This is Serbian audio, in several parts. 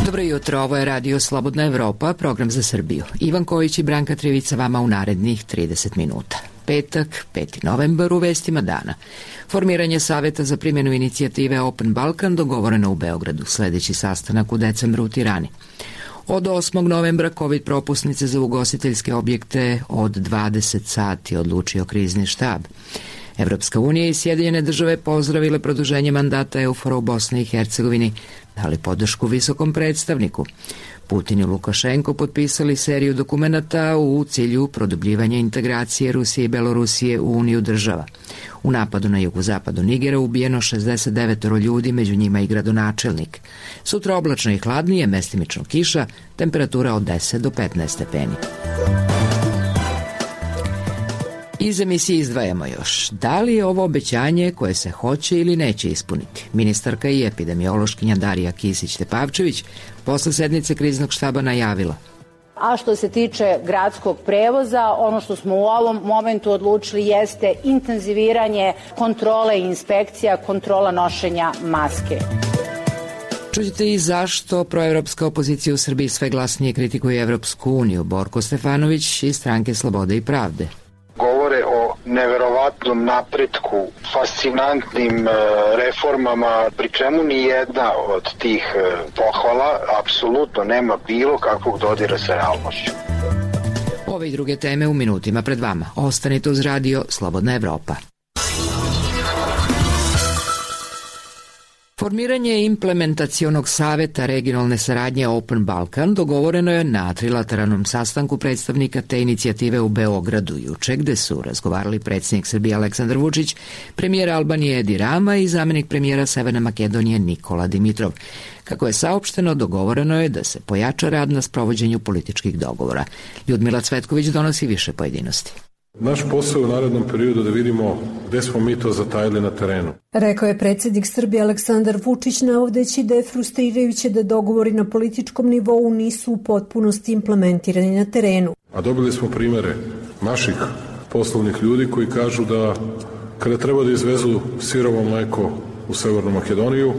Dobro jutro, ovo je Radio Slobodna Evropa, program za Srbiju. Ivan Kojić i Branka Trivica vama u narednih 30 minuta. Petak, 5. novembar, u vestima dana. Formiranje Saveta za primjenu inicijative Open Balkan dogovoreno u Beogradu, sledeći sastanak u decembru u Tirani. Od 8. novembra COVID propusnice za ugostiteljske objekte od 20 sati odlučio krizni štab. Evropska unija i Sjedinjene države pozdravile produženje mandata EUFOR-a u Bosni i Hercegovini, dali podršku visokom predstavniku. Putin i Lukašenko potpisali seriju dokumenata u cilju produbljivanja integracije Rusije i Belorusije u Uniju država. U napadu na jugozapadu Nigera ubijeno 69 ljudi, među njima i gradonačelnik. Sutra oblačno i hladnije, mestimično kiša, temperatura od 10 do 15 stepeni. Iz emisije izdvajamo još. Da li je ovo obećanje koje se hoće ili neće ispuniti? Ministarka i epidemiološkinja Darija Kisić-Tepavčević posle sednice kriznog štaba najavila. A što se tiče gradskog prevoza, ono što smo u ovom momentu odlučili jeste intenziviranje kontrole i inspekcija, kontrola nošenja maske. Čućete i zašto proevropska opozicija u Srbiji sve glasnije kritikuje Evropsku uniju. Borko Stefanović iz Stranke Slobode i pravde. Govore o neverovatnom napretku, fascinantnim reformama, pri čemu ni jedna od tih pohvala apsolutno nema bilo kakvog dodira sa realnošću. Ove i druge teme u minutima pred vama. Ostanite uz Radio Slobodna Evropa. Formiranje implementacionog saveta regionalne saradnje Open Balkan dogovoreno je na trilateralnom sastanku predstavnika te inicijative u Beogradu juče, gde su razgovarali predsjednik Srbije Aleksandar Vučić, premijer Albanije Edi Rama i zamenik premijera Severne Makedonije Nikola Dimitrov. Kako je saopšteno, dogovoreno je da se pojača rad na sprovođenju političkih dogovora. Ljudmila Cvetković donosi više pojedinosti. Naš posao u narednom periodu da vidimo gde smo mi to zatajili na terenu. Rekao je predsjednik Srbije Aleksandar Vučić, navodeći da je frustrirajuće da dogovori na političkom nivou nisu u potpunosti implementirani na terenu. A dobili smo primere naših poslovnih ljudi koji kažu da kada treba da izvezu sirovo mleko u Severnu Makedoniju,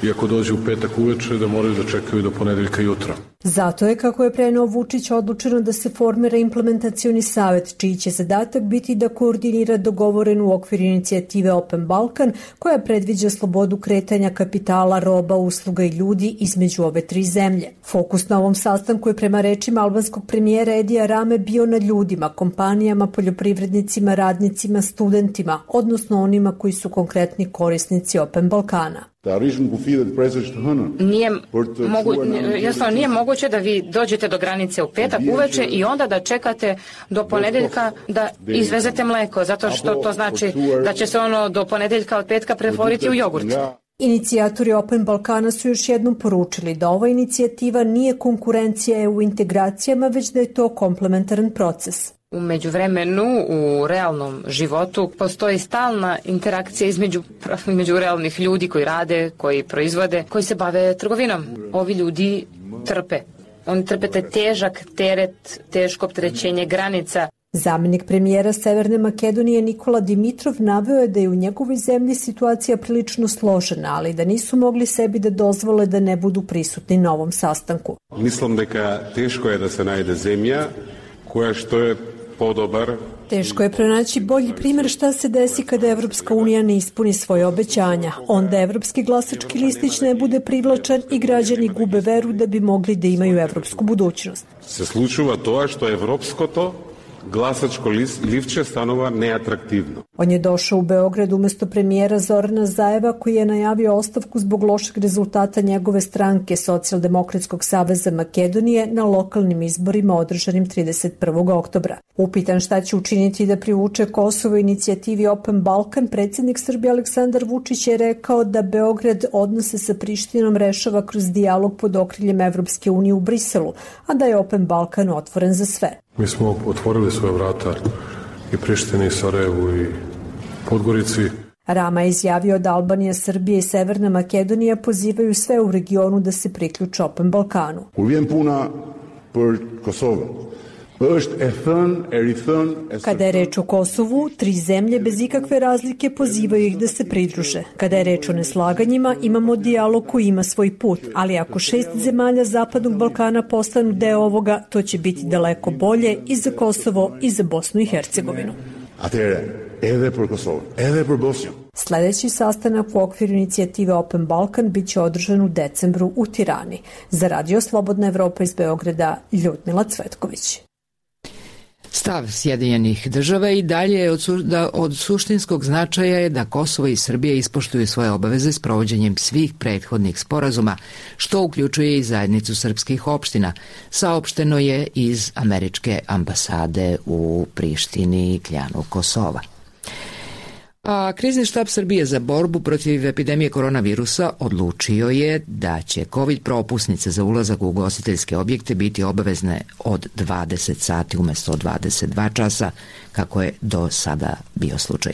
i ako dođe u petak uveče, da moraju da čekaju do ponedeljka jutra. Zato je, kako je preneo Vučić, odlučeno da se formira implementacioni savet, čiji će zadatak biti da koordinira dogovorenu u okviru inicijative Open Balkan, koja predviđa slobodu kretanja kapitala, roba, usluga i ljudi između ove tri zemlje. Fokus na ovom sastanku je prema rečima albanskog premijera Edija Rame bio na ljudima, kompanijama, poljoprivrednicima, radnicima, studentima, odnosno onima koji su konkretni korisnici Open Balkana. Nije moguće da vi dođete do granice u petak uveče i onda da čekate do ponedeljka da izvezete mleko, zato što to znači da će se ono do ponedeljka od petka pretvoriti u jogurt. Inicijatori Open Balkana su još jednom poručili da ova inicijativa nije konkurencija EU integracijama, već da je to komplementaran proces. U međuvremenu, u realnom životu, postoji stalna interakcija između realnih ljudi koji rade, koji proizvode, koji se bave trgovinom. Ovi ljudi trpe. Oni trpe taj težak teret, teško opterećenje granica. Zamenik premijera Severne Makedonije Nikola Dimitrov naveo je da je u njegovoj zemlji situacija prilično složena, ali da nisu mogli sebi da dozvole da ne budu prisutni na ovom sastanku. Mislim da teško je da se najde zemlja koja što je podobar. Teško je pronaći bolji primjer šta se desi kada Evropska unija ne ispuni svoje obećanja. Onda evropski glasački listić ne bude privlačan i građani gube veru da bi mogli da imaju evropsku budućnost. Se slučuva to što je evropsko to, glasačko livče stanova neatraktivno. On je došao u Beograd umesto premijera Zorana Zajeva, koji je najavio ostavku zbog lošeg rezultata njegove stranke Socijaldemokratskog saveza Makedonije na lokalnim izborima održanim 31. oktobra. Upitan šta će učiniti da privuče Kosovo inicijativi Open Balkan, predsjednik Srbije Aleksandar Vučić je rekao da Beograd odnose sa Prištinom rešava kroz dijalog pod okriljem Evropske unije u Briselu, a da je Open Balkan otvoren za sve. Mi smo otvorili svoje vrata i Prištini, i Sarajevu, i Podgorici. Rama je izjavio da Albanija, Srbija i Severna Makedonija pozivaju sve u regionu da se priključe Open Balkanu. Ulviem puna për Kosovën Kada je reč o Kosovu, 3 zemlje bez ikakve razlike pozivaju ih da se pridruže. Kada je reč o neslaganjima, imamo dijalog koji ima svoj put, ali ako 6 zemalja Zapadnog Balkana postanu deo ovoga, to će biti daleko bolje i za Kosovo i za Bosnu i Hercegovinu. Sledeći sastanak u okviru inicijative Open Balkan biće održan u decembru u Tirani. Za Radio Slobodna Evropa iz Beograda, Ljudmila Cvetković. Stav Sjedinjenih država i dalje je od suštinskog značaja je da Kosovo i Srbija ispoštuju svoje obaveze s provođenjem svih prethodnih sporazuma, što uključuje i zajednicu srpskih opština, saopšteno je iz američke ambasade u Prištini i Kljanu Kosova. A Krizni štab Srbije za borbu protiv epidemije koronavirusa odlučio je da će COVID propusnice za ulazak u ugostiteljske objekte biti obavezne od 20 sati umesto 22 časa, kako je do sada bio slučaj.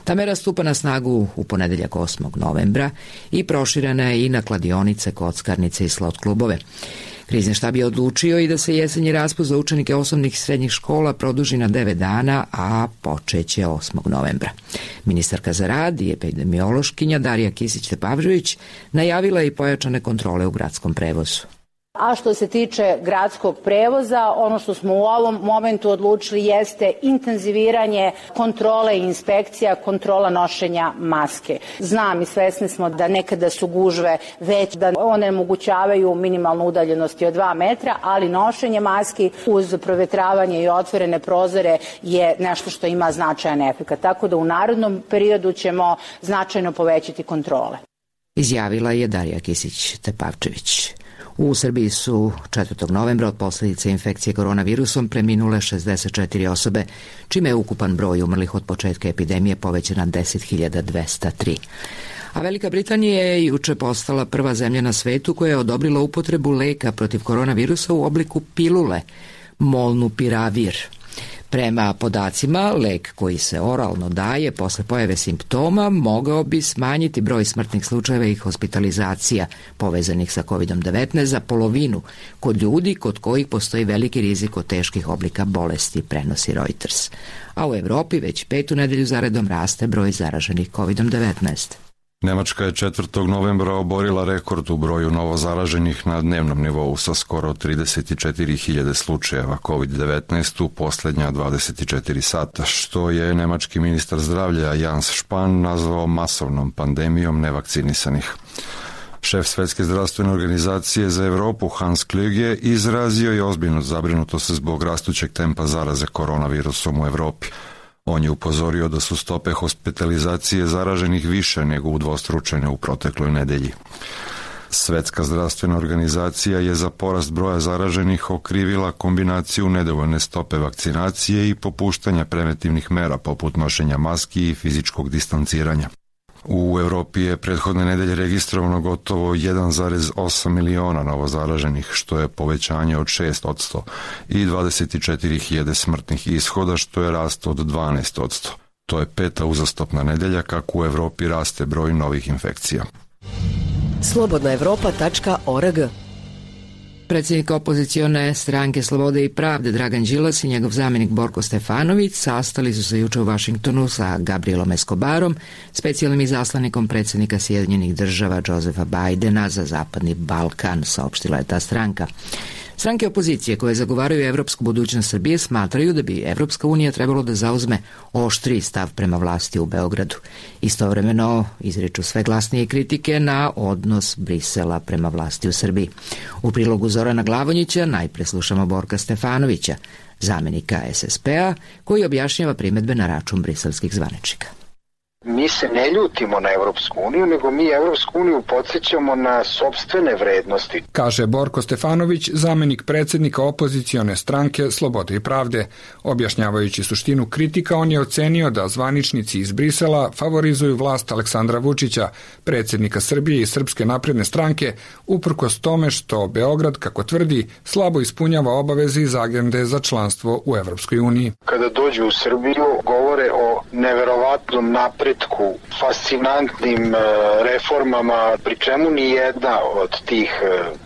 Ta mera stupa na snagu u ponedeljak 8. novembra i proširena je i na kladionice, kockarnice i slot klubove. Krizni štab je odlučio i da se jesenji raspust za učenike osnovnih i srednjih škola produži na 9 dana, a počeće 8. novembra. Ministarka za rad i epidemiološkinja Darija Kisić-Tepavčević najavila je i pojačane kontrole u gradskom prevozu. A što se tiče gradskog prevoza, ono što smo u ovom momentu odlučili jeste intenziviranje kontrole i inspekcija, kontrola nošenja maske. Znam i svesni smo da nekada su gužve već da one omogućavaju minimalnu udaljenosti od 2 metra, ali nošenje maski uz provetravanje i otvorene prozore je nešto što ima značajan efekat. Tako da u narednom periodu ćemo značajno povećati kontrole. Izjavila je Darija Kisić-Tepavčević. U Srbiji su 4. novembra od posljedice infekcije koronavirusom preminule 64 osobe, čime je ukupan broj umrlih od početka epidemije povećan na 10.203. A Velika Britanija je juče postala prva zemlja na svetu koja je odobrila upotrebu leka protiv koronavirusa u obliku pilule Molnupiravir. Prema podacima, lek koji se oralno daje posle pojave simptoma mogao bi smanjiti broj smrtnih slučajeva i hospitalizacija povezanih sa COVID-19 za polovinu kod ljudi kod kojih postoji veliki rizik od teških oblika bolesti, prenosi Reuters. A u Evropi već 5. nedelju zaredom raste broj zaraženih COVID-19. Nemačka je 4. novembra oborila rekord u broju novozaraženih na dnevnom nivou sa skoro 34.000 slučajeva COVID-19 u posljednja 24 sata, što je nemački ministar zdravlja Jens Spahn nazvao masovnom pandemijom nevakcinisanih. Šef Svetske zdravstvene organizacije za Evropu Hans Kluge izrazio je ozbiljnu zabrinutost zbog rastućeg tempa zaraze koronavirusom u Evropi. On je upozorio da su stope hospitalizacije zaraženih više nego udvostručene u protekloj nedelji. Svetska zdravstvena organizacija je za porast broja zaraženih okrivila kombinaciju nedovoljne stope vakcinacije i popuštanja preventivnih mera poput nošenja maski i fizičkog distanciranja. U Evropi je prethodne nedelje registrovano gotovo 1,8 miliona novozaraženih, što je povećanje od 6% i 24.000 smrtnih ishoda, što je rast od 12%. To je 5. uzastopna nedelja kako u Evropi raste broj novih infekcija. slobodnaevropa.org. Predsjednik opozicione stranke Slobode i pravde Dragan Đilas i njegov zamjenik Borko Stefanović sastali su se juče u Vašingtonu sa Gabrielom Escobarom, specijalnim izaslanikom predsjednika Sjedinjenih država Josefa Bajdena za Zapadni Balkan, saopštila je ta stranka. Stranke opozicije koje zagovaraju evropsku budućnost Srbije smatraju da bi Evropska unija trebalo da zauzme oštriji stav prema vlasti u Beogradu. Istovremeno izriču sve glasnije kritike na odnos Brisela prema vlasti u Srbiji. U prilogu Zorana Glavonjića najpre slušamo Borka Stefanovića, zamjenika SSP-a, koji objašnjava primedbe na račun briselskih zvaničnika. Mi se ne ljutimo na Evropsku uniju, nego mi Evropsku uniju podsjećamo na sopstvene vrednosti. Kaže Borko Stefanović, zamjenik predsjednika opozicione stranke Slobode i pravde. Objašnjavajući suštinu kritika, on je ocenio da zvaničnici iz Brisela favorizuju vlast Aleksandra Vučića, predsjednika Srbije i Srpske napredne stranke, uprkos tome što Beograd, kako tvrdi, slabo ispunjava obaveze iz agende za članstvo u Evropskoj uniji. Kada dođu u Srbiju, govore o neverovatnom napretku, fascinantnim reformama, pri čemu ni jedna od tih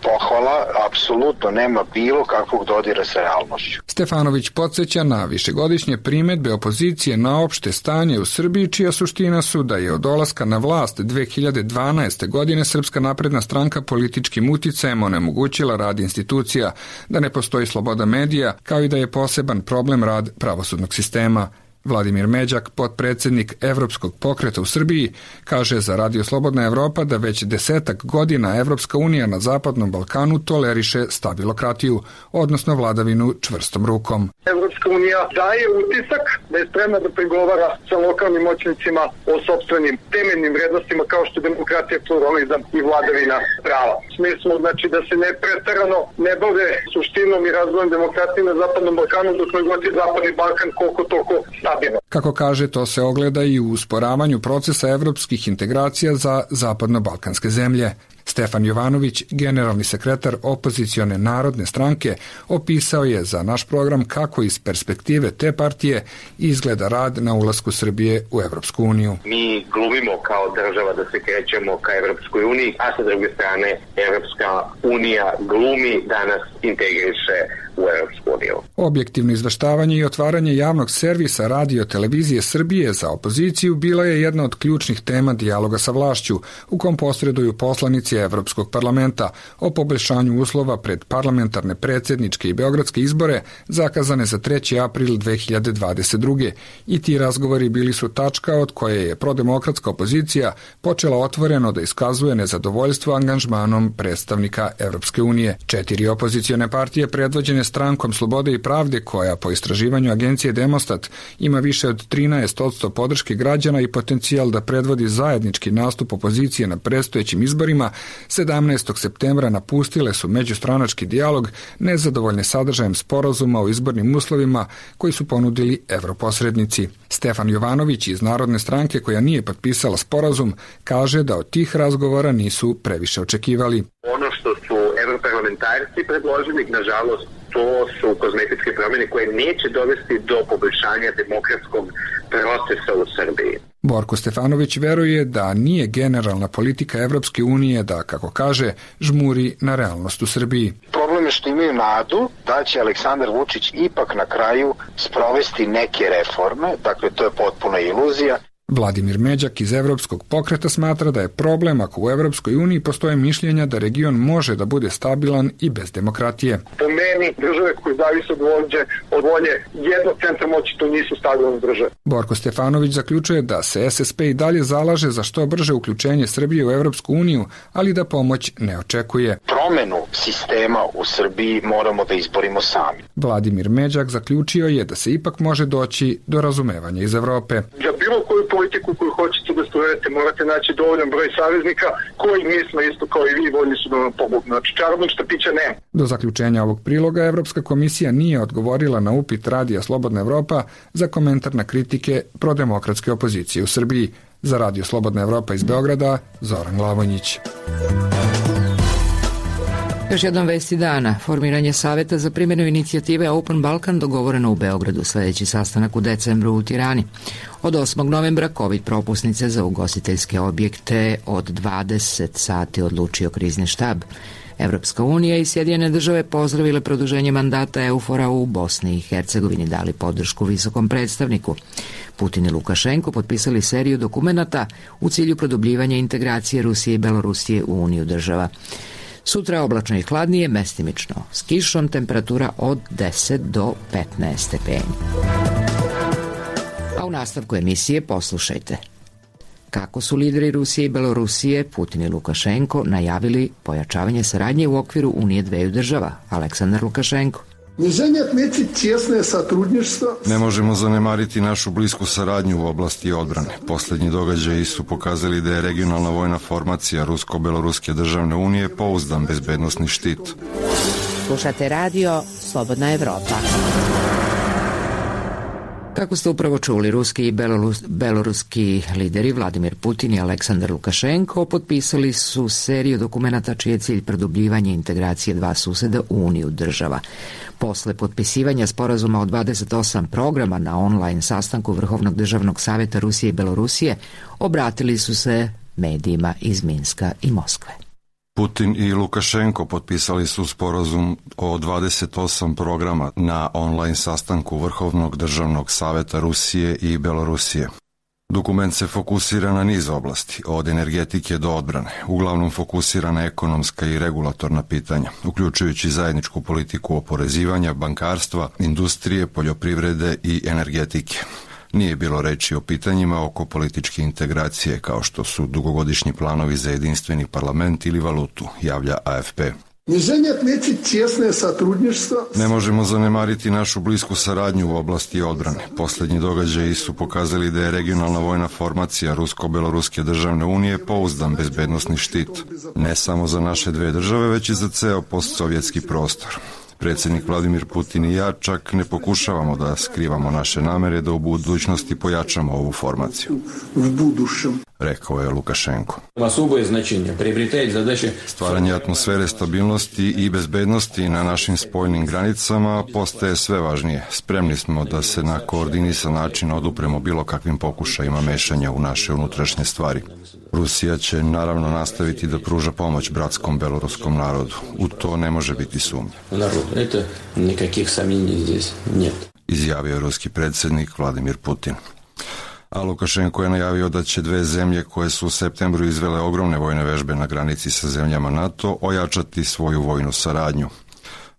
pohvala apsolutno nema bilo kakvog dodira sa realnošću. Stefanović podsjeća na višegodišnje primedbe opozicije na opšte stanje u Srbiji, čija suština su da je od dolaska na vlast 2012. godine Srpska napredna stranka političkim uticajem onemogućila rad institucija, da ne postoji sloboda medija, kao i da je poseban problem rad pravosudnog sistema. Vladimir Međak, potpredsednik Evropskog pokreta u Srbiji, kaže za Radio Slobodna Evropa da već 10 godina Evropska unija na Zapadnom Balkanu toleriše stabilokratiju, odnosno vladavinu čvrstom rukom. Evropska unija daje utisak da je spremna da pregovara sa lokalnim moćnicima o sopstvenim temeljnim vrednostima kao što je demokratija, pluralizam i vladavina prava. U smislu, znači, da se ne preterano ne bave suštinom i razvojem demokratije na Zapadnom Balkanu, dok god je Zapadni Balkan koliko toliko stabilno. Kako kaže, to se ogleda i u usporavanju procesa evropskih integracija za zapadno-balkanske zemlje. Stefan Jovanović, generalni sekretar opozicione Narodne stranke, opisao je za naš program kako iz perspektive te partije izgleda rad na ulasku Srbije u Evropsku uniju. Mi glumimo kao država da se krećemo ka Evropskoj uniji, a sa druge strane Evropska unija glumi da nas integriše u Evropsku uniju. Objektivno izveštavanje i otvaranje javnog servisa Radio Televizije Srbije za opoziciju bila je jedna od ključnih tema dijaloga sa vlašću, u kom posreduju poslanici Evropskog parlamenta o poboljšanju uslova pred parlamentarne, predsjedničke i beogradske izbore zakazane za 3. april 2022. I ti razgovori bili su tačka od koje je prodemokratska opozicija počela otvoreno da iskazuje nezadovoljstvo angažmanom predstavnika Evropske unije. 4 opozicione partije predvođene Strankom Slobode i pravde, koja po istraživanju agencije Demostat ima više od 13% podrške građana i potencijal da predvodi zajednički nastup opozicije na predstojećim izborima, 17. septembra napustile su međustranački dijalog nezadovoljne sadržajem sporazuma o izbornim uslovima koji su ponudili europosrednici. Stefan Jovanović iz Narodne stranke, koja nije potpisala sporazum, kaže da od tih razgovora nisu previše očekivali. Ono što su europarlamentarci predložili, nažalost, to su kozmetičke promjene koje neće dovesti do poboljšanja demokratskog procesa u Srbiji. Borko Stefanović veruje da nije generalna politika Evropske unije da, kako kaže, žmuri na realnost u Srbiji. Problem je što imaju nadu da će Aleksandar Vučić ipak na kraju sprovesti neke reforme, dakle to je potpuna iluzija. Vladimir Međak iz Evropskog pokreta smatra da je problem ako u Evropskoj uniji postoje mišljenja da region može da bude stabilan i bez demokratije. Po meni, države koje zavise od volje jednog centra moći, to nisu stabilne države. Borko Stefanović zaključuje da se SSP i dalje zalaže za što brže uključenje Srbije u Evropsku uniju, ali da pomoć ne očekuje. Promenu sistema u Srbiji moramo da izborimo sami. Vladimir Međak zaključio je da se ipak može doći do razumevanja iz Evrope. Za bilo koju politiku koju hoćete da sprovedete, morate naći dovoljan broj saveznika koji mi smo isto kao i vi voljni su da vam pomognu. Znači, čarobnog štapića nema. Do zaključenja ovog priloga Evropska komisija nije odgovorila na upit Radija Slobodna Evropa za komentar na kritike prodemokratske opozicije u Srbiji. Za Radio Slobodna Evropa iz Beograda, Zoran Glavonjić. Još jednom vesti dana. Formiranje saveta za primjenu inicijative Open Balkan dogovoreno u Beogradu. Sljedeći sastanak u decembru u Tirani. Od 8. novembra COVID propusnice za ugostiteljske objekte od 20 sati odlučio krizni štab. Evropska unija i Sjedinjene države pozdravile produženje mandata EUFOR-a u Bosni i Hercegovini, dali podršku visokom predstavniku. Putin i Lukašenko potpisali seriju dokumenata u cilju produbljivanja integracije Rusije i Belorusije u Uniju država. Sutra oblačno i hladnije, mestimično s kišom, temperatura od 10 do 15 stepeni. A u nastavku emisije poslušajte kako su lideri Rusije i Belorusije, Putin i Lukašenko, najavili pojačavanje saradnje u okviru Unije dveju država. Aleksandar Lukašenko. Ne možemo zanemariti našu blisku saradnju u oblasti odbrane. Posljednji događaji su pokazali da je regionalna vojna formacija Rusko-Beloruske državne unije pouzdan bezbednosni štit. Slušate radio Slobodna Evropa. Kako ste upravo čuli, ruski i beloruski lideri Vladimir Putin i Aleksandar Lukašenko potpisali su seriju dokumenata čiji je cilj produbljivanje integracije dva suseda u Uniju država. Posle potpisivanja sporazuma o 28 programa na online sastanku Vrhovnog državnog savjeta Rusije i Belorusije obratili su se medijima iz Minska i Moskve. Putin i Lukašenko potpisali su sporazum o 28 programa na online sastanku Vrhovnog državnog savjeta Rusije i Belorusije. Dokument se fokusira na niz oblasti, od energetike do odbrane, uglavnom fokusira na ekonomska i regulatorna pitanja, uključujući zajedničku politiku oporezivanja, bankarstva, industrije, poljoprivrede i energetike. Nije bilo reči o pitanjima oko političke integracije, kao što su dugogodišnji planovi za jedinstveni parlament ili valutu, javlja AFP. Ne možemo zanemariti našu blisku saradnju u oblasti odbrane. Posljednji događaji su pokazali da je regionalna vojna formacija Rusko-Beloruske državne unije pouzdan bezbednosni štit, ne samo za naše dve države, već i za ceo postsovjetski prostor. Predsjednik Vladimir Putin i ja čak ne pokušavamo da skrivamo naše namere da u budućnosti pojačamo ovu formaciju, rekao je Lukašenko. Stvaranje atmosfere stabilnosti i bezbednosti na našim spoljnim granicama postaje sve važnije. Spremni smo da se na koordinisan način odupremo bilo kakvim pokušajima mešanja u naše unutrašnje stvari. Rusija će naravno nastaviti da pruža pomoć bratskom beloruskom narodu. U to ne može biti sumnje. Izjavio je ruski predsjednik Vladimir Putin. A Lukašenko je najavio da će dve zemlje koje su u septembru izvele ogromne vojne vežbe na granici sa zemljama NATO ojačati svoju vojnu saradnju.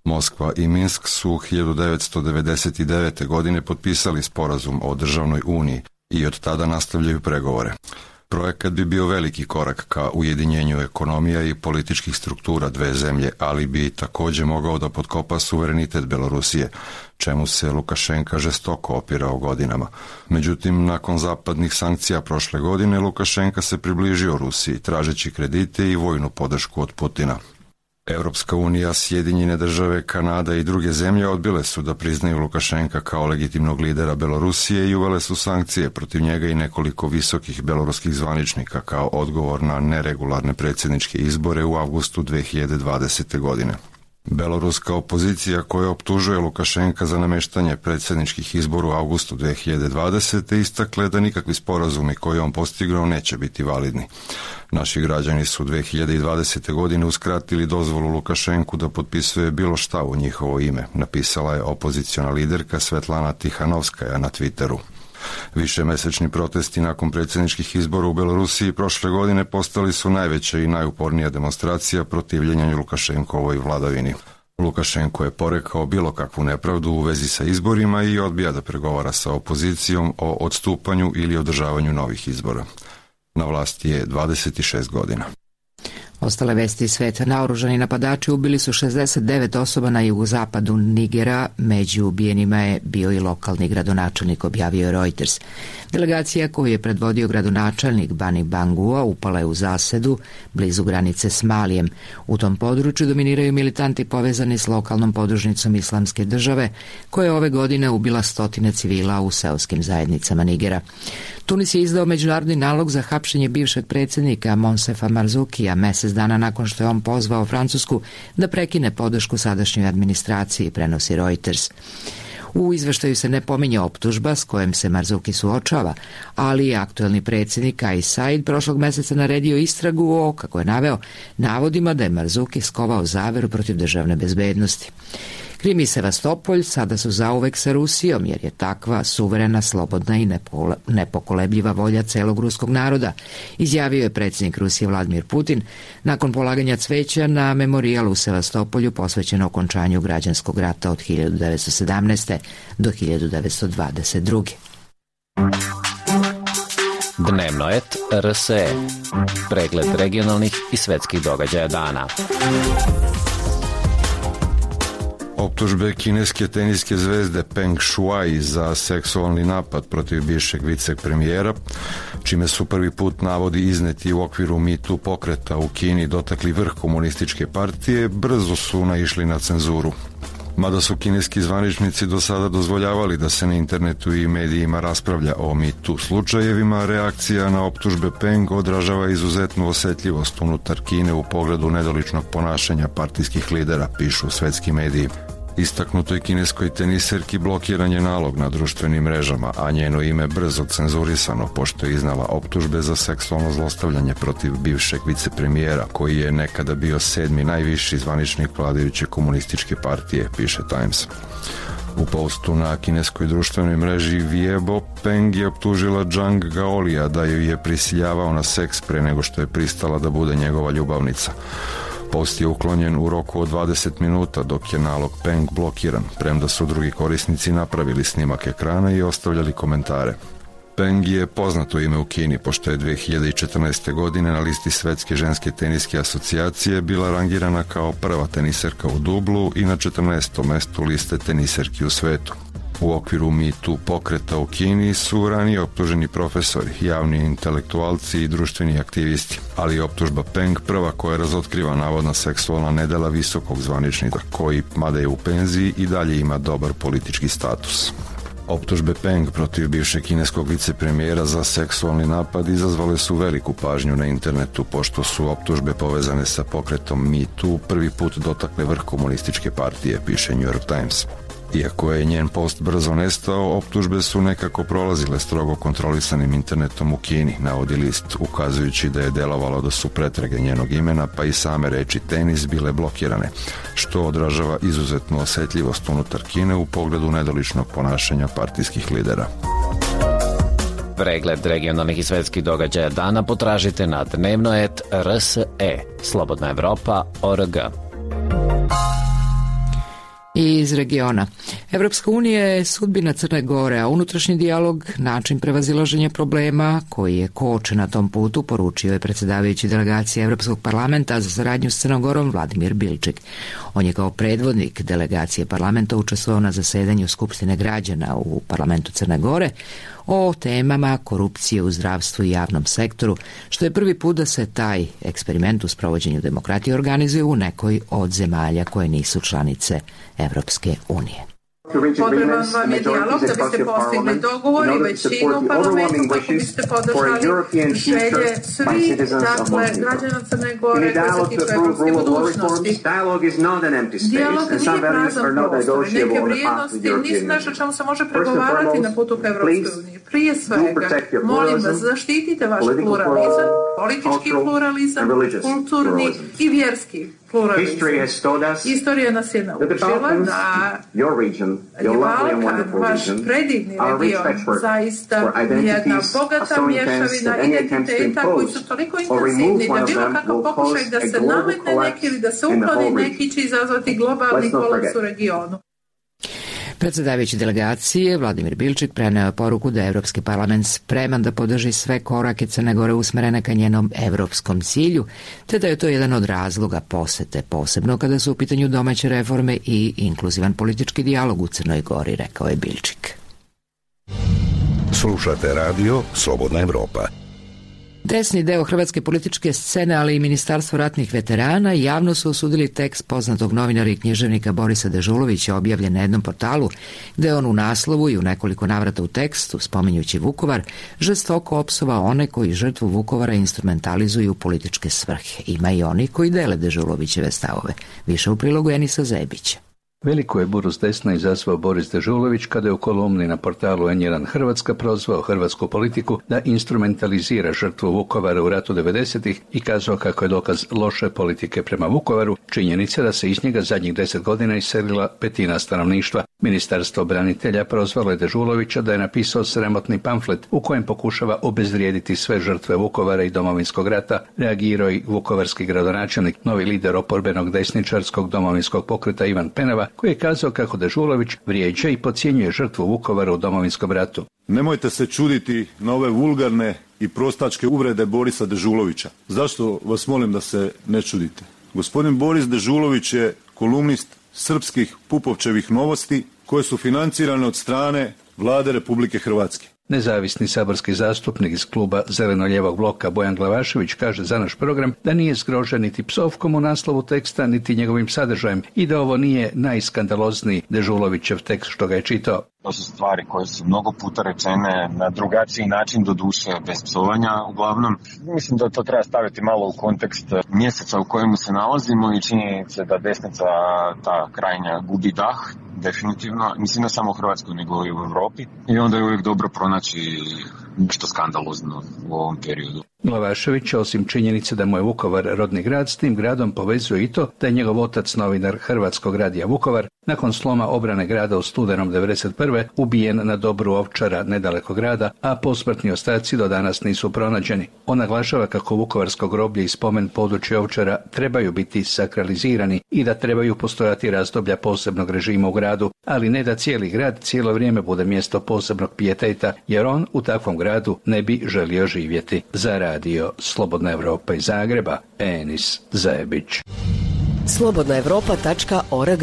Moskva i Minsk su 1999. godine potpisali sporazum o državnoj uniji i od tada nastavljaju pregovore. Projekat bi bio veliki korak ka ujedinjenju ekonomija i političkih struktura dve zemlje, ali bi također mogao da potkopa suverenitet Belorusije, čemu se Lukašenka žestoko opirao godinama. Međutim, nakon zapadnih sankcija prošle godine, Lukašenka se približio Rusiji, tražeći kredite i vojnu podršku od Putina. Europska unija, Sjedinjene države, Kanada i druge zemlje odbile su da priznaju Lukašenka kao legitimnog lidera Belorusije i uvele su sankcije protiv njega i nekoliko visokih beloruskih zvaničnika kao odgovor na neregularne predsjedničke izbore u avgustu 2020. godine. Beloruska opozicija koja optužuje Lukašenka za nameštanje predsjedničkih izbora u avgustu 2020. istakle da nikakvi sporazumi koje on postigao neće biti validni. Naši građani su 2020. godine uskratili dozvolu Lukašenku da potpisuje bilo šta u njihovo ime, napisala je opoziciona liderka Svetlana Tihanovskaja na Twitteru. Višemesečni protesti nakon predsjedničkih izbora u Belorusiji prošle godine postali su najveća i najupornija demonstracija protivljenja Lukašenkovoj vladavini. Lukašenko je porekao bilo kakvu nepravdu u vezi sa izborima i odbija da pregovara sa opozicijom o odstupanju ili održavanju novih izbora. Na vlasti je 26 godina. Ostale vesti iz sveta. Naoružani napadači ubili su 69 osoba na jugozapadu Nigera. Među ubijenima je bio i lokalni gradonačelnik, objavio Reuters. Delegacija koju je predvodio gradonačelnik Bani Bangua upala je u zasedu blizu granice s Malijem. U tom području dominiraju militanti povezani s lokalnom podružnicom Islamske države, koja je ove godine ubila stotine civila u seoskim zajednicama Nigera. Tunis je izdao međunarodni nalog za hapšenje bivšeg predsjednika Monsefa Marzukija mesec dana nakon što je on pozvao Francusku da prekine podršku sadašnjoj administraciji, prenosi Reuters. U izveštaju se ne pominje optužba s kojom se Marzuki suočava, ali je aktuelni predsjednik Kais Saied prošlog meseca naredio istragu o, kako je naveo, navodima da je Marzuki skovao zaveru protiv državne bezbednosti. Krim i Sevastopolj sada su zauvek sa Rusijom, jer je takva suverena, slobodna i nepokolebljiva volja celog ruskog naroda, izjavio je predsjednik Rusije Vladimir Putin nakon polaganja cveća na memorijal u Sevastopolju posvećeno okončanju građanskog rata od 1917. do 1922. Dnevno et RSE. Pregled regionalnih i svetskih događaja dana. Optužbe kineske teniske zvezde Peng Shuai za seksualni napad protiv bivšeg vicepremijera, čime su prvi put navodi izneti u okviru Me Too pokreta u Kini dotakli vrh komunističke partije, brzo su naišli na cenzuru. Mada su kineski zvaničnici do sada dozvoljavali da se na internetu i medijima raspravlja o Me Too slučajevima, reakcija na optužbe Peng odražava izuzetnu osetljivost unutar Kine u pogledu nedoličnog ponašanja partijskih lidera, pišu svetski mediji. Istaknutoj kineskoj teniserki blokiran je nalog na društvenim mrežama, a njeno ime brzo cenzurisano pošto je iznala optužbe za seksualno zlostavljanje protiv bivšeg vicepremijera, koji je nekada bio 7. najviši zvaničnik vladajuće komunističke partije, piše Times. U postu na kineskoj društvenoj mreži Weibo, Peng je optužila Zhang Gaolija da ju je prisiljavao na seks pre nego što je pristala da bude njegova ljubavnica. Post je uklonjen u roku od 20 minuta, dok je nalog Peng blokiran, premda su drugi korisnici napravili snimak ekrana i ostavljali komentare. Peng je poznato ime u Kini, pošto je 2014. godine na listi Svetske ženske teniske asocijacije bila rangirana kao prva teniserka u dublu i na 14. mestu liste teniserki u svetu. U okviru Me Too pokreta u Kini su ranije optuženi profesori, javni intelektualci i društveni aktivisti, ali je optužba Peng prva koja razotkriva navodna seksualna nedela visokog zvaničnika, koji, mada je u penziji, i dalje ima dobar politički status. Optužbe Peng protiv bivšeg kineskog vicepremijera za seksualni napad izazvale su veliku pažnju na internetu, pošto su optužbe povezane sa pokretom Me Too prvi put dotakle vrh komunističke partije, piše New York Times. Iako je njen post brzo nestao, optužbe su nekako prolazile strogo kontrolisanim internetom u Kini, navodi list, ukazujući da je delovalo da su pretrage njenog imena pa i same reči tenis bile blokirane, što odražava izuzetnu osetljivost unutar Kine u pogledu nedoličnog ponašanja partijskih lidera. Pregled regionalnih i svetskih događaja dana potražite na dnevnoet.rse, slobodnaevropa.org. I iz regiona. Evropska unija je sudbina Crne Gore, a unutrašnji dijalog način prevazilaženja problema koji je koče na tom putu, poručio je predsjedavajući delegacije Evropskog parlamenta za saradnju s Crnom Gorom Vladimir Bilčik. On je kao predvodnik delegacije parlamenta učestvovao na zasedanju Skupštine građana u parlamentu Crne Gore o temama korupcije u zdravstvu i javnom sektoru, što je prvi put da se taj eksperiment u sprovođenju demokratije organizuje u nekoj od zemalja koje nisu članice Evropske unije. Potreban vam je dijalog da biste postigli dogovor i većinu u parlamentu kako biste podržali želje svih građana Crne Gore koji se tiču evropske budućnosti. Dijalog nije prazan prostor. Neke vrijednosti nisu nešto čemu se može pregovarati na putu ka Evropskoj uniji. Prije svega, molim vas, zaštitite vaš pluralizam, politički pluralizam, kulturni i vjerski pluralizam. Istorija nas je naučila da je Balkan, vaš predivni region, zaista jedna bogata mješavina identiteta koji su toliko intenzivni da bilo kakav pokušaj da se nametne neki ili da se ukloni neki će izazvati globalni kolaps u regionu. Predsjedavajući delegacije Vladimir Bilčik preneo je poruku da je Evropski parlament spreman da podrži sve korake Crne Gore usmerene ka njenom evropskom cilju, te da je to jedan od razloga posete, posebno kada su u pitanju domaće reforme i inkluzivan politički dijalog u Crnoj Gori, rekao je Bilčik. Slušate radio Slobodna Evropa. Desni deo hrvatske političke scene, ali i Ministarstvo ratnih veterana javno su osudili tekst poznatog novinara i književnika Borisa Dežulovića objavljen na jednom portalu, gde on u naslovu i u nekoliko navrata u tekstu, spominjući Vukovar, žestoko opsova one koji žrtvu Vukovara instrumentalizuju u političke svrhe. Ima i oni koji dele Dežulovićeve stavove. Više u prilogu Enisa Zebića. Veliku je buru s desna izazvao Boris Dežulović kada je u kolumni na portalu N1 Hrvatska prozvao hrvatsku politiku da instrumentalizira žrtvu Vukovara u ratu 90-ih i kazao kako je dokaz loše politike prema Vukovaru činjenica da se iz njega zadnjih 10 godina iselila petina stanovništva. Ministarstvo branitelja prozvalo je Dežulovića da je napisao sramotni pamflet u kojem pokušava obezvrijediti sve žrtve Vukovara i Domovinskog rata, reagirao i vukovarski gradonačelnik, novi lider oporbenog desničarskog domovinskog pokreta Ivan Penava, koji je kazao kako Dežulović vrijeđa i podcjenjuje žrtvu Vukovara u Domovinskom ratu. Nemojte se čuditi na ove vulgarne i prostačke uvrede Borisa Dežulovića. Zašto vas molim da se ne čudite? Gospodin Boris Dežulović je kolumnist srpskih Pupovčevih novosti koje su financirane od strane Vlade Republike Hrvatske. Nezavisni saborski zastupnik iz kluba Zeleno-lijevog bloka Bojan Glavašević kaže za naš program da nije zgrožen niti psovkom u naslovu teksta, niti njegovim sadržajem i da ovo nije najskandalozniji Dežulovićev tekst što ga je čitao. To su stvari koje su mnogo puta rečene na drugačiji način, do duše bez psovanja uglavnom. Mislim da to treba staviti malo u kontekst mjeseca u kojemu se nalazimo i činjenice da desnica, ta krajnja, gubi dah, definitivno. Mislim ne samo u Hrvatskoj nego i u Europi. I onda je uvijek dobro pronaći nešto skandalozno u ovom periodu. Glavašević, osim činjenice da mu je Vukovar rodni grad, s tim gradom povezuje i to da je njegov otac, novinar Hrvatskog radija Vukovar, nakon sloma obrane grada u studenom 1991. ubijen na Dobru Ovčara nedaleko grada, a posmrtni ostaci do danas nisu pronađeni. On naglašava kako vukovarsko groblje i spomen područja Ovčara trebaju biti sakralizirani i da trebaju postojati razdoblja posebnog režima u gradu, ali ne da cijeli grad cijelo vrijeme bude mjesto posebnog pijeteta, jer on u takvom gradu ne bi želio živjeti. Za radio Slobodna Evropa iz Zagreba, Enis Zajebić. slobodnaevropa.org.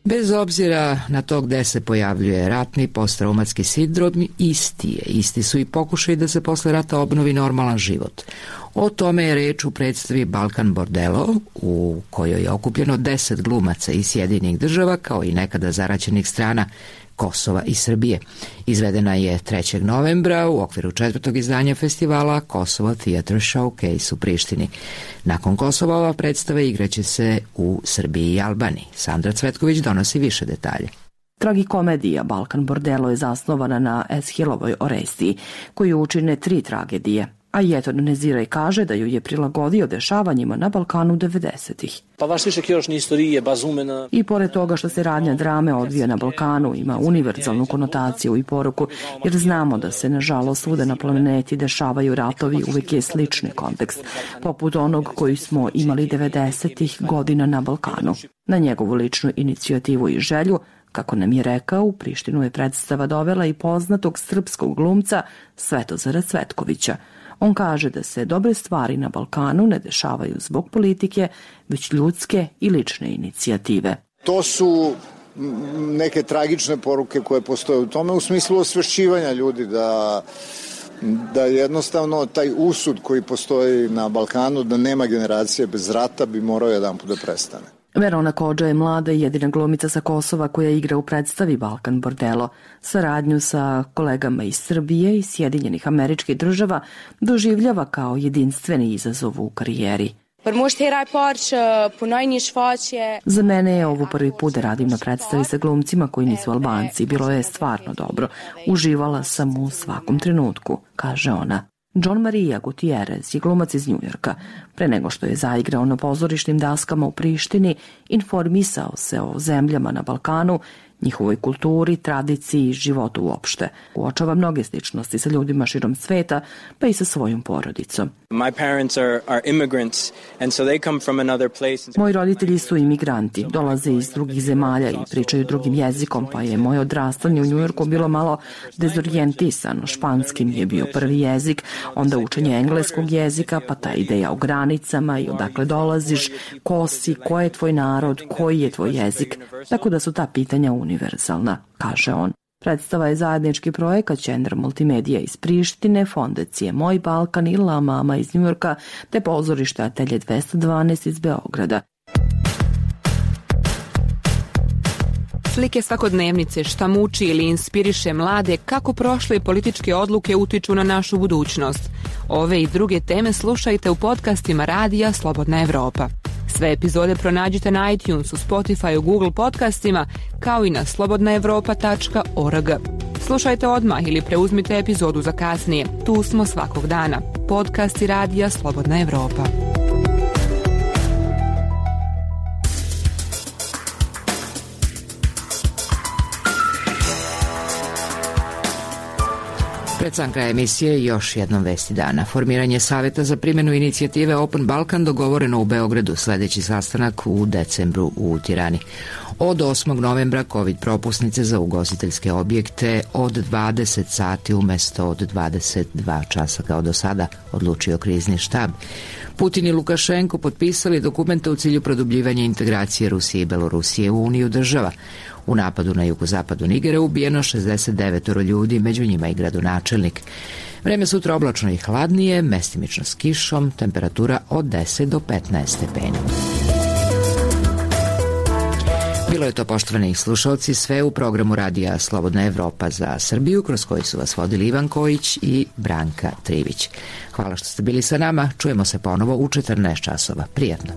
Bez obzira na to gde se pojavljuje ratni postraumatski sindrom, isti su i pokušaj da se posle rata obnovi normalan život. O tome je reč u predstavi Balkan Bordello, u kojoj je okupljeno 10 glumaca iz Sjedinjenih Država, kao i nekada zaraćenih strana Kosova i Srbije. Izvedena je 3. novembra u okviru 4. izdanja festivala Kosovo Theatre Showcase u Prištini. Nakon Kosova ova predstava igraće se u Srbiji i Albaniji. Sandra Cvetković donosi više detalje. Tragikomedija Balkan Bordello je zasnovana na Eshilovoj Orestiji, koju učine 3 tragedije. A Jeton Neziraj kaže da ju je prilagodio dešavanjima na Balkanu 90-ih. I pored toga što se radnja drame odvija na Balkanu, ima univerzalnu konotaciju i poruku, jer znamo da se nažalost svuda na planeti dešavaju ratovi, uvijek je slični kontekst, poput onog koji smo imali 90-ih godina na Balkanu. Na njegovu ličnu inicijativu i želju, kako nam je rekao, u Prištinu je predstava dovela i poznatog srpskog glumca Svetozara Cvetkovića. On kaže da se dobre stvari na Balkanu ne dešavaju zbog politike, već ljudske i lične inicijative. To su neke tragične poruke koje postoje u tome, u smislu osvešćivanja ljudi da jednostavno taj usud koji postoji na Balkanu, da nema generacije bez rata, bi morao jedanput da prestane. Verona Kodža je mlada i jedina glumica sa Kosova koja igra u predstavi Balkan Bordello. Saradnju sa kolegama iz Srbije i Sjedinjenih Američkih Država doživljava kao jedinstveni izazov u karijeri. Za mene je ovo prvi put da radim na predstavi sa glumcima koji nisu Albanci. Bilo je stvarno dobro. Uživala sam u svakom trenutku, kaže ona. John Maria Gutierrez je glumac iz Njujorka. Pre nego što je zaigrao na pozorišnim daskama u Prištini, informisao se o zemljama na Balkanu, njihovoj kulturi, tradiciji i životu uopšte. Uočava mnoge sličnosti sa ljudima širom sveta, pa i sa svojom porodicom. Moji roditelji su imigranti, dolaze iz drugih zemalja i pričaju drugim jezikom, pa je moje odrastanje u Njujorku bilo malo dezorijentisano. Španski mi je bio prvi jezik, onda učenje engleskog jezika, pa ta ideja o granicama i odakle dolaziš, ko si, ko je tvoj narod, koji je tvoj jezik, tako da su ta pitanja univerzalna, kaže on. Predstava je zajednički projekat Centra Multimedija iz Prištine, Fondacije Moj Balkan i La Mama iz Njujorka, te pozorište Atelje 212 iz Beograda. Slike svakodnevnice, šta muči ili inspiriše mlade, kako prošle političke odluke utiču na našu budućnost. Ove i druge teme slušajte u podcastima Radija Slobodna Evropa. Sve epizode pronađite na iTunesu, Spotify, Google podcastima, kao i na slobodnaevropa.org. Slušajte odmah ili preuzmite epizodu za kasnije. Tu smo svakog dana. Podcasti Radija Slobodna Evropa. Pred sam kraja emisije još jednom vesti dana. Formiranje savjeta za primjenu inicijative Open Balkan dogovoreno u Beogradu, sljedeći sastanak u decembru u Tirani. Od 8. novembra COVID propusnice za ugostiteljske objekte od 20 sati umjesto od 22 časa kao do sada, odlučio krizni štab. Putin i Lukašenko potpisali dokumente u cilju produbljivanja integracije Rusije i Belorusije u Uniju država. U napadu na jugozapadu Nigera ubijeno 69 ljudi, među njima i gradonačelnik. Vreme sutra oblačno i hladnije, mestimično s kišom, temperatura od 10 do 15 stepeni. Bilo je to, poštovani slušalci, sve u programu radija Slobodna Evropa za Srbiju, kroz koji su vas vodili Ivan Kojić i Branka Trivić. Hvala što ste bili sa nama, čujemo se ponovo u 14 časova. Prijatno.